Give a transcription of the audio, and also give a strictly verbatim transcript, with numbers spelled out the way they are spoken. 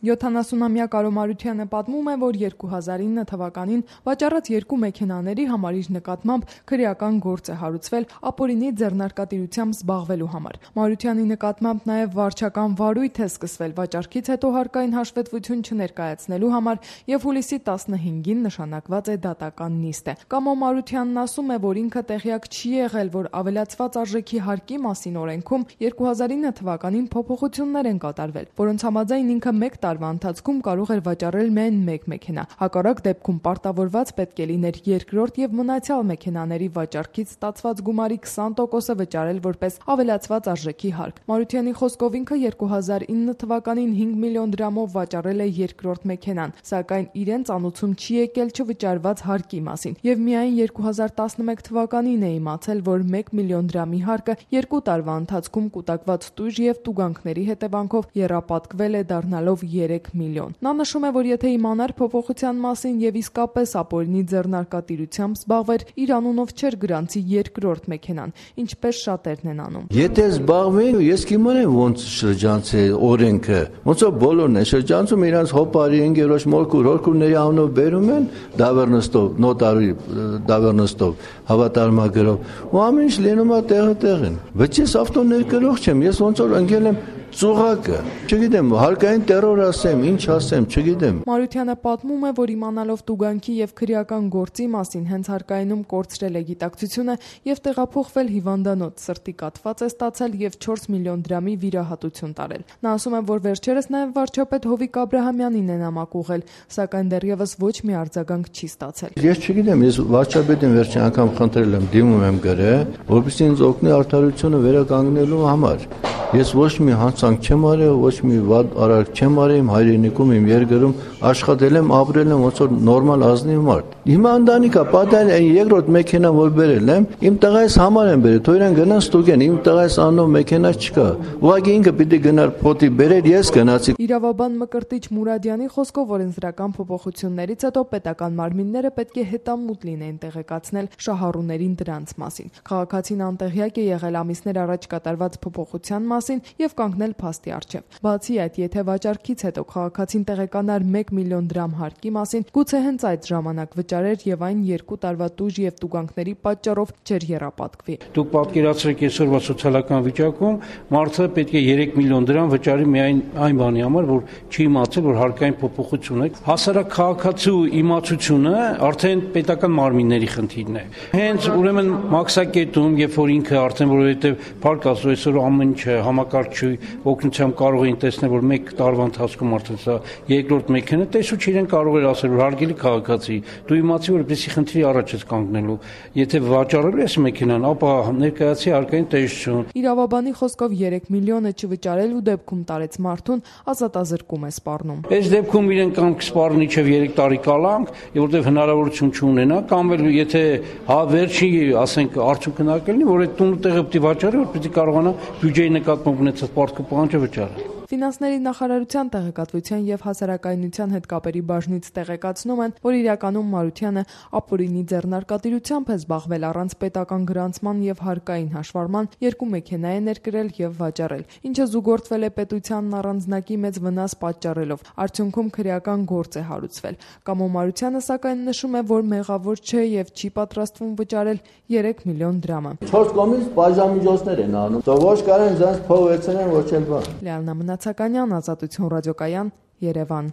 յոթանասունամյա Կարո Մարությանը պատմում է, որ երկու հազար ինը թվականին վաճառած երկու մեքենաների համար իր նկատմամբ քրեական գործ է հարուցվել ապօրինի ձեռնարկատիրությամբ զբաղվելու համար։ Մարությանի նկատմամբ նաև վարչական վարույթ է սկսվել վաճառքից հետո հարկային հաշվետվություն չներկայացնելու համար և հուլիսի տասնհինգին նշանակված է դատական նիստը։ Կամո Մարությանն ասում է, որ ինքը տեղյակ չի եղել, որ ավելացված արժեքի հարկի մասին օրենքում երկու հազար ինը թվականին փոփոխություններ են կատարվել, որոնց համաձայն ինքը մեկ տարվա ընթացքում կարող էր վաճառել միայն մեկ մեքենա։ Հակառակ դեպքում պարտավորված պետք է լիներ երկրորդ և մնացյալ մեքենաների վաճառքից ստացված գումարի քսան տոկոսը վճարել որպես ավելացված արժեքի հարկ։ Մարությանի խոսքով ինքը երկու հազար ինը թվականին հինգ միլիոն դրամով վաճառել է երկրորդ մեքենան, սակայն իրեն ծանուցում չի եկել չվճարված հարկի մասին, և միայն երկու հազար տասնմեկ թվականին է իմացել, որ մեկ միլիոն դրամի հարկը երկու տարվա ընթացքում կուտակված տույժ և տուգանքների հետևանքով եռապատկվել է դառնալով երեք միլիոն։ Նա նշում է, որ եթե իմանար փոփոխության մասին և իսկապես ապօրինի ձեռնարկատիրությամբ զբաղվեր, իր անունով չէր գրանցի երկրորդ մեքենան, ինչպես շատերն են անում։ Եթե զբաղվեի, ես կիմանայի ոնց շրջանցի օրենքը, ոնց որ բոլորն են շրջանցում իրենց հոպարի ընկերոջ մորքուր հորքուրների անունով բերում են դավեռնստով, նոտարի դավեռնստով, հավատարմագրով, ու ամեն ինչ լինում է տեղը տեղին։ Բայց ես ավտո ներկրող չեմ, ես ոնց որ ընկել եմ ծուղակը, չգիտեմ, հարկային տերոր ասեմ, ինչ ասեմ, չգիտեմ։ Մարությանը պատմում է, որ իմանալով տուգանքի և քրեական գործի մասին հենց հարկայինում կորցրել է գիտակցությունը և տեղափոխվել հիվանդանոց, սրտի կաթված է ստացել և չորս միլիոն դրամի վիրահատություն տարել։ Նա ասում է, որ վերջերս նաև վարչապետ Հովիկ Աբրահամյանին է նամակ ուղղել, սակայն դեռևս ոչ մի արձագանք չի ստացել։ Ես չգիտեմ, ես վարչապետին վերջին անգամ խնդրել եմ, դիմում եմ գրել, որպեսզի ինձ օգնի արդարությունը վերականգնելու համար։ Ես ոչ մի հանցանք չեմ արել, ոչ մի վատ արարք չեմ արել իմ հայրենիքում, իմ երկրում, աշխատել եմ, ապրել եմ ոնց որ նորմալ ազնիվ մարդ։ Հիմա ընտանիքա պատահել այն երկրորդ մեքենան, որ բերել եմ, իմ տղայիս համար եմ բերել, թող իրեն գնան ստուգեն, իմ տղայիս անունով մեքենա չկա։ Ուղղակի ինքը պիտի գնար փոտի բերեր, ես գնացի։ Իրավաբան Մկրտիչ Մուրադյանի խոսքով օրենսդրական փոփոխություններից հետո պետական մարմինները պետք է հետամուտ լինեն տեղեկացնել շահառուներին դրանց մասին։ Քաղաքացին անտեղյակ է եղել ամիսներ առաջ կատարված փոփոխության մասին և կանգնել փաստի առջև։ Բացի այդ, եթե վաճառքից հետո քաղաքացին տեղեկանար մեկ միլիոն դրամ հարկի մասին, գուցե հենց այդ ժամանակ վճարեր և այն երկու տարվա տույժ և տուգանքների պատճառով չէր եռապատկվի։ Դուք պատկերացրեք այսօրվա սոցիալական վիճակում մարդը պետք է երեք միլիոն դրամ վճարի միայն այն բանի համար, որ չի իմացել, որ հարկային փոփոխություն է։ Հասարակ քաղաքացու իմացությունը արդեն պետական մարմինների խնդիրն է։ Հենց ուրեմն մաքսակետում, երբ որ ինքը արդեն որովհետև փառք Աստծո այսօր ամեն ինչ համակարգչի օգնությամբ կարող էին տեսնել, որ մեկ տարվա ընթացքում արդեն սա երկրորդ մեքենա, տեսուչ իրեն կարող էր ասել, որ հարգելի քաղաքացի, դու իմացի, որ որպեսզի խնդրի առաջ ես կանգնելու, եթե վաճառելու ես մեքենան, ապա ներկայացի հարկային տեսություն։ Իրավաբանի խոսքով երեք միլիոնը չվճարելու դեպքում տարեց մարդուն ազատազրկում է սպառնում։ Այս դեպքում իրեն կամ կսպառնի մինչև երեք տարի կալանք, որտեղ հնարավորություն չունենա, կամ էլ եթե հա վերջի, ասենք, արդյունքը նա կլինի, որ այդ տունը տեղը պիտի վաճառի, որ պիտի կարողանա բյուջեի նկատմամբ ունեցած պարտքը պահանջը վճարել։ Ֆինանսների նախարարության տեղեկատվության և հասարակայնության հետ կապերի բաժնից տեղեկացնում են, որ իրականում Մարությանը ապօրինի ձեռնարկատիրությամբ է զբաղվել առանց պետական գրանցման և հարկային հաշվառման, երկու մեքենա է ներկրել և վաճառել, ինչը զուգորդվել է պետությանն առանձնակի մեծ վնաս պատճառելով, արդյունքում քրեական գործ է հարուցվել։ Կամո Մարությանը սակայն նշում է, որ մեղավոր չէ և չի պատրաստվում վճարել երեք միլիոն դրամը։ Չորս կողմից բաժանմիջոցներ են անում, ոչ կարեն ձեզ փող վերցնեն, ոչ էլ բան։ Լիաննա Մնացականյան, Ազատություն ռադիոկայան, Երևան։